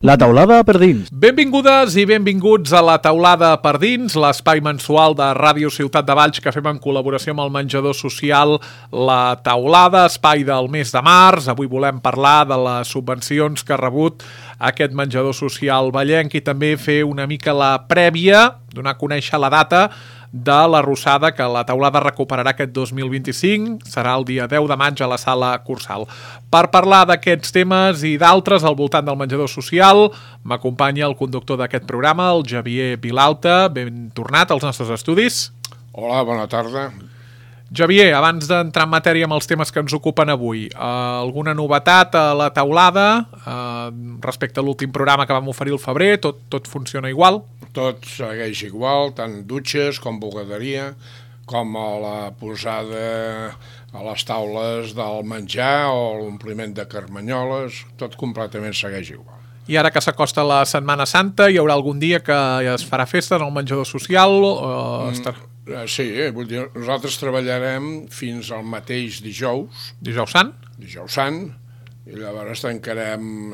La taulada per dins. Benvingudes i benvinguts a La taulada per dins, l'espai mensual de Ràdio Ciutat de Valls que fem en col·laboració amb el menjador social La Taulada, espai del mes de març. Avui volem parlar de les subvencions que ha rebut aquest menjador social vallenc i també fer una mica la prèvia, donar a conèixer la data de la Rossada que la taulada recuperarà aquest 2025, serà el dia 10 de maig a la sala Cursal. Per parlar d'aquests temes i d'altres al voltant del menjador social, m'acompanya el conductor d'aquest programa, el Javier Vilalta. Ben tornat als nostres estudis. Hola, bona tarda. Javier, abans d'entrar en matèria amb els temes que ens ocupen avui, alguna novetat a la taulada respecte a l'últim programa que vam oferir al febrer? Tot funciona igual? Tot segueix igual, tant dutxes com bugaderia, com a la posada a les taules del menjar o l'ompliment de carmanyoles, tot completament segueix igual. I ara que s'acosta la Setmana Santa, hi haurà algun dia que es farà festa en el menjador social? Sí, vull dir, nosaltres treballarem fins al mateix dijous. Dijous Sant? Dijous Sant, i llavors tancarem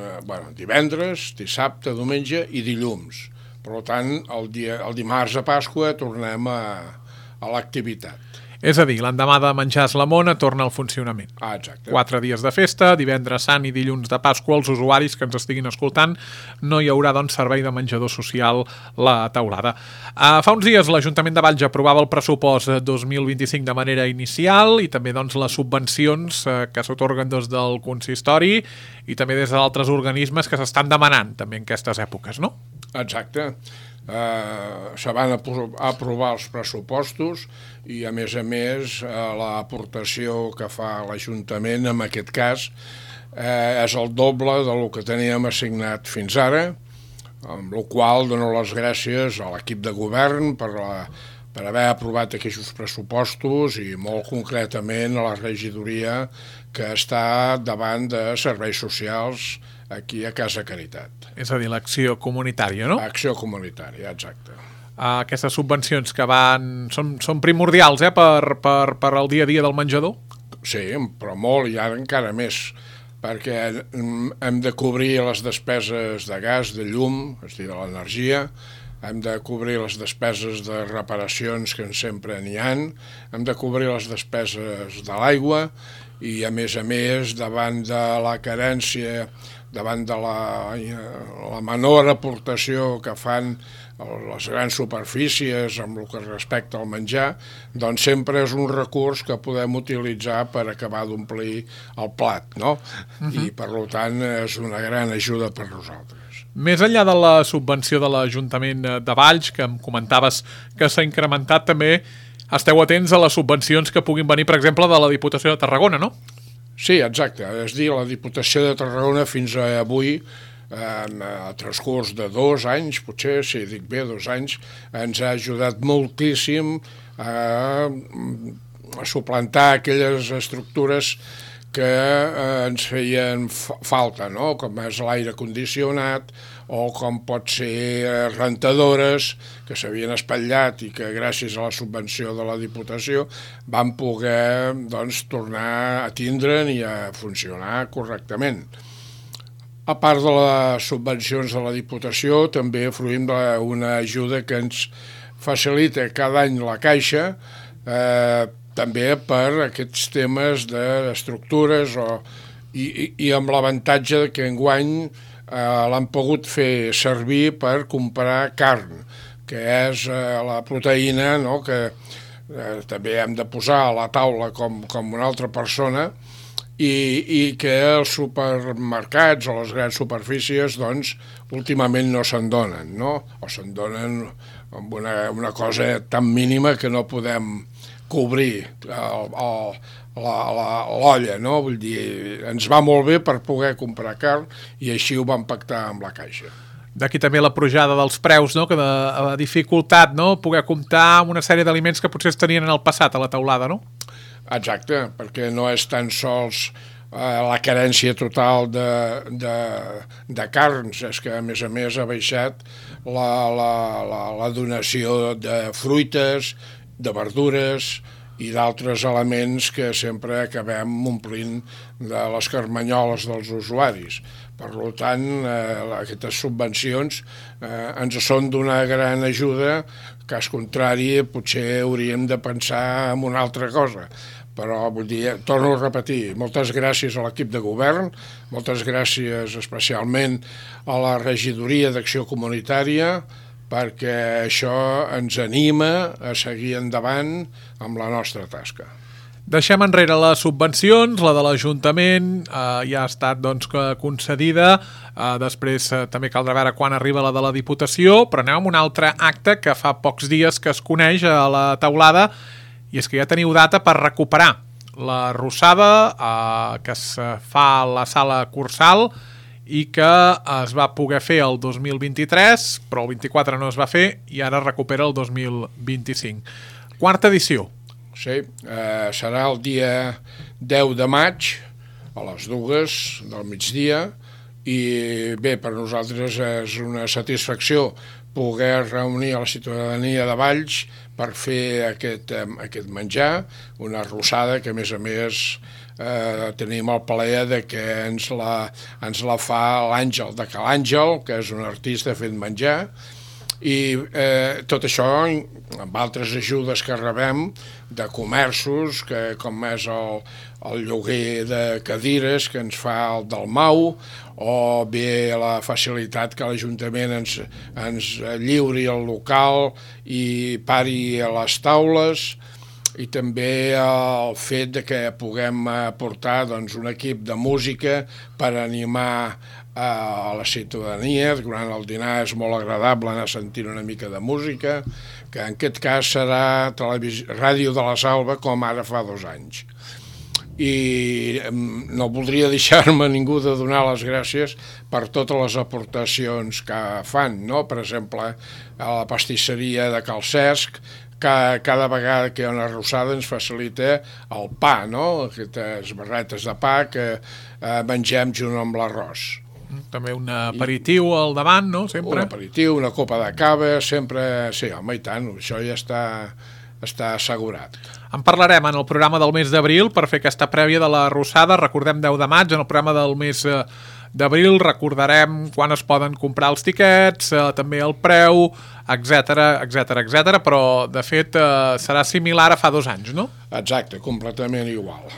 divendres, dissabte, diumenge i dilluns. Per tant, el dimarts de Pasqua tornem a l'activitat. És a dir, l'endemà de menjar la mona torna al funcionament. Exacte. 4 dies de festa, divendres Sant i dilluns de Pasqua. Els usuaris que ens estiguin escoltant, no hi haurà doncs servei de menjador social La Taulada. Fa uns dies l'Ajuntament de Valls aprovava el pressupost 2025 de manera inicial i també doncs les subvencions que s'atorguen des del consistori i també des d'altres organismes que s'estan demanant també en aquestes èpoques, no? Exacte. Se van aprovar els pressupostos i a més l'aportació que fa l'Ajuntament en aquest cas és el doble del que teníem assignat fins ara, amb la qual dono les gràcies a l'equip de govern per haver aprovat aquests pressupostos i molt concretament a la regidoria que està davant de serveis socials aquí a Casa Caritat. És a dir, l'acció comunitària, no? Acció comunitària, exacte. Aquestes subvencions que són primordials per al dia a dia del menjador? Sí, però molt, i ara encara més, perquè hem de cobrir les despeses de gas, de llum, és a dir, de l'energia, hem de cobrir les despeses de reparacions que sempre n'hi ha, hem de cobrir les despeses de l'aigua i, a més, davant de la carència, davant de la menor aportació que fan les grans superfícies amb el que respecta al menjar, doncs sempre és un recurs que podem utilitzar per acabar d'omplir el plat, no? I, per tant, és una gran ajuda per nosaltres. Més enllà de la subvenció de l'Ajuntament de Valls, que em comentaves que s'ha incrementat, també esteu atents a les subvencions que puguin venir, per exemple, de la Diputació de Tarragona, no? Sí, exacte. És a dir, la Diputació de Tarragona fins a avui, en el transcurs de 2 anys, potser, si dic bé, 2 anys, ens ha ajudat moltíssim a suplantar aquelles estructures que ens feien falta, no? Com és l'aire condicionat o com pot ser rentadores que s'havien espatllat i que gràcies a la subvenció de la Diputació van poder tornar a tindre'n i a funcionar correctament. A part de les subvencions de la Diputació, també fruïm d'una ajuda que ens facilita cada any la Caixa, també per aquests temes d'estructures i amb l'avantatge que enguany l'han pogut fer servir per comprar carn, que és la proteïna, no?, que també hem de posar a la taula com una altra persona i que els supermercats o les grans superfícies últimament no se'n donen, no? O se'n donen amb una cosa tan mínima que no podem cobrir l'olla, no? Vull dir, ens va molt bé per poder comprar carn i així ho vam pactar amb la Caixa. D'aquí també la pujada dels preus, no?, que ha dificultat, no?, poder comptar una sèrie d'aliments que potser es tenien en el passat a la taulada, no? Exacte, perquè no és tan sols la carència total de carns, és que a més ha baixat la donació de fruites, de verdures i d'altres elements que sempre acabem omplint de les carmanyoles dels usuaris. Per tant, aquestes subvencions ens són d'una gran ajuda, cas contrari, potser hauríem de pensar en una altra cosa. Però, vull dir, torno a repetir, moltes gràcies a l'equip de govern, moltes gràcies especialment a la regidoria d'Acció Comunitària, perquè això ens anima a seguir endavant amb la nostra tasca. Deixem enrere les subvencions, la de l'Ajuntament ja ha estat concedida, després també caldrà veure quan arriba la de la Diputació, però anem amb un altre acte que fa pocs dies que es coneix a la Teulada, i és que ja teniu data per recuperar la Rossada que es fa a la Sala Cursal i que es va poder fer el 2023, però el 24 no es va fer i ara recupera el 2025. Quarta edició. Sí, serà el dia 10 de maig a les 2 del migdia i bé, per nosaltres és una satisfacció poder reunir a la ciutadania de Valls per fer aquest menjar, una rossada que a més tenim el plaer de que ens la fa l'Àngel de Cal Àngel, que és un artista fent menjar, i tot això amb altres ajudes que rebem de comerços, com és el lloguer de cadires que ens fa el Dalmau, o bé la facilitat que l'Ajuntament ens lliuri el local i pari a les taules, i també el fet de que puguem portar un equip de música per animar a la ciutadania. Durant el dinar és molt agradable anar sentint una mica de música, que en aquest cas serà Ràdio de la Salva, com ara fa 2 anys. I no voldria deixar-me ningú de donar les gràcies per totes les aportacions que fan, no? Per exemple, a la pastisseria de Cal Cesc, cada vegada que hi ha una rossada ens facilita el pa, no? Aquestes barretes de pa que mengem junt amb l'arròs. També un aperitiu al davant, no? Sempre. Un aperitiu, una copa de cava, sempre... Sí, home, i tant, això ja està assegurat. En parlarem en el programa del mes d'abril per fer aquesta prèvia de la rossada. Recordem 10 de maig, en el programa del mes d'abril recordarem quan es poden comprar els tiquets, també el preu, etc, però de fet serà similar a fa 2 anys, no? Exacte, completament igual.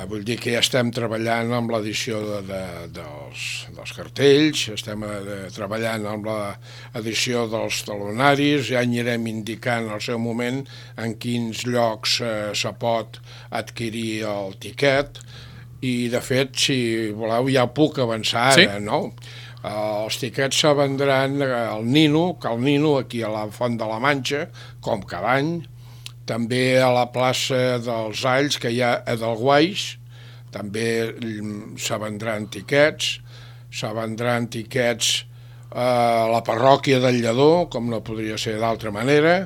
Vull dir que ja estem treballant amb l'edició dels cartells, estem treballant amb l'edició dels talonaris, ja anirem indicant al seu moment en quins llocs se pot adquirir el tiquet, i de fet, si voleu, ja puc avançar ara, no? Els tiquets se vendran al Nino, aquí a la Font de la Manxa, com cada any, també a la plaça dels Alls, que hi ha a Delguais, també se vendran tiquets a la parròquia del Lledó, com no podria ser d'altra manera,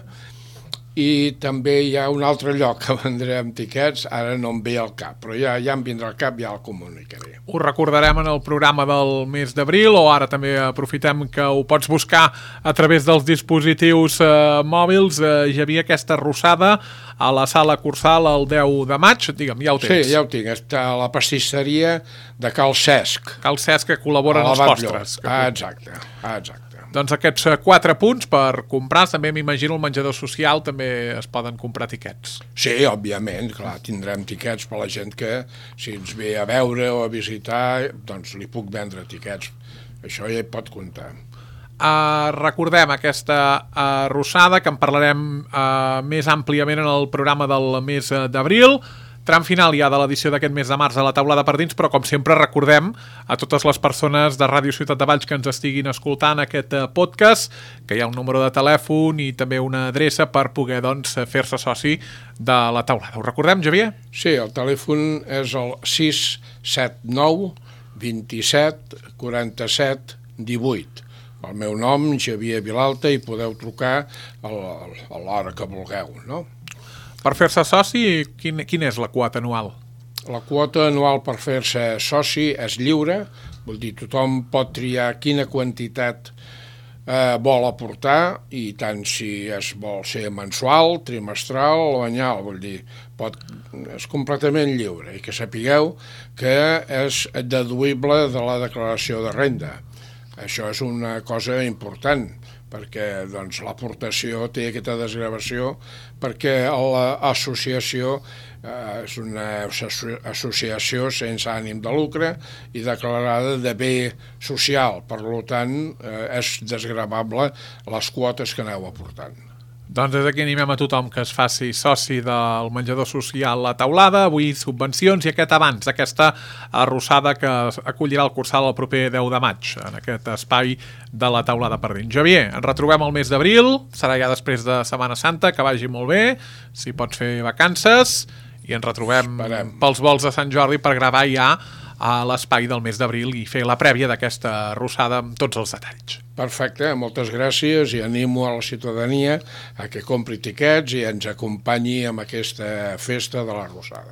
i també hi ha un altre lloc que vendrem tiquets, ara no em ve al cap, però ja em vindrà al cap, ja el comunicaré. Ho recordarem en el programa del mes d'abril, o ara també aprofitem que ho pots buscar a través dels dispositius mòbils. Hi havia aquesta rossada a la Sala Cursal el 10 de maig, digue'm, ja ho tens. Sí, ja ho tinc, està a la pastisseria de Cal Cesc. Cal Cesc, que col·labora en els postres. Exacte. Doncs aquests 4 punts per comprar, també m'imagino el menjador social també es poden comprar tiquets. Sí, òbviament, clar, tindrem tiquets per la gent que si ens ve a veure o a visitar, doncs li puc vendre tiquets, això ja hi pot comptar. Recordem aquesta rossada, que en parlarem més àmpliament en el programa del mes d'abril. Tram final ja de l'edició d'aquest mes de març a la Teulada per dins, però com sempre recordem a totes les persones de Ràdio Ciutat de Valls que ens estiguin escoltant aquest podcast que hi ha un número de telèfon i també una adreça per poder fer-se soci de la Teulada. Ho recordem, Javier? Sí, el telèfon és el 679 27 47 18. El meu nom, Javier Vilalta, i podeu trucar a l'hora que vulgueu, no? Per fer-se soci, quina és la quota anual? La quota anual per fer-se soci és lliure, vol dir tothom pot triar quina quantitat vol aportar, i tant si es vol ser mensual, trimestral o anyal, vull dir, és completament lliure, i que sapigueu que és deduïble de la declaració de renda. Això és una cosa important, perquè doncs, l'aportació té aquesta desgravació, perquè l'associació és una associació sense ànim de lucre i declarada de bé social, per tant és desgravable les quotes que aneu aportant. Doncs des d'aquí animem a tothom que es faci soci del menjador social La Taulada, avui subvencions i aquest avanç, aquesta arrossada que acollirà el Cursal el proper 10 de maig, en aquest espai de La Taulada per dins. Javier, ens retrobem el mes d'abril, serà ja després de Setmana Santa, que vagi molt bé, si pots fer vacances, i ens retrobem pels vols de Sant Jordi per gravar ja a l'espai del mes d'abril i fer la prèvia d'aquesta arrossada amb tots els detalls. Perfecte, moltes gràcies, i animo a la ciutadania a que compri tiquets i ens acompanyi amb aquesta festa de l'arrossada.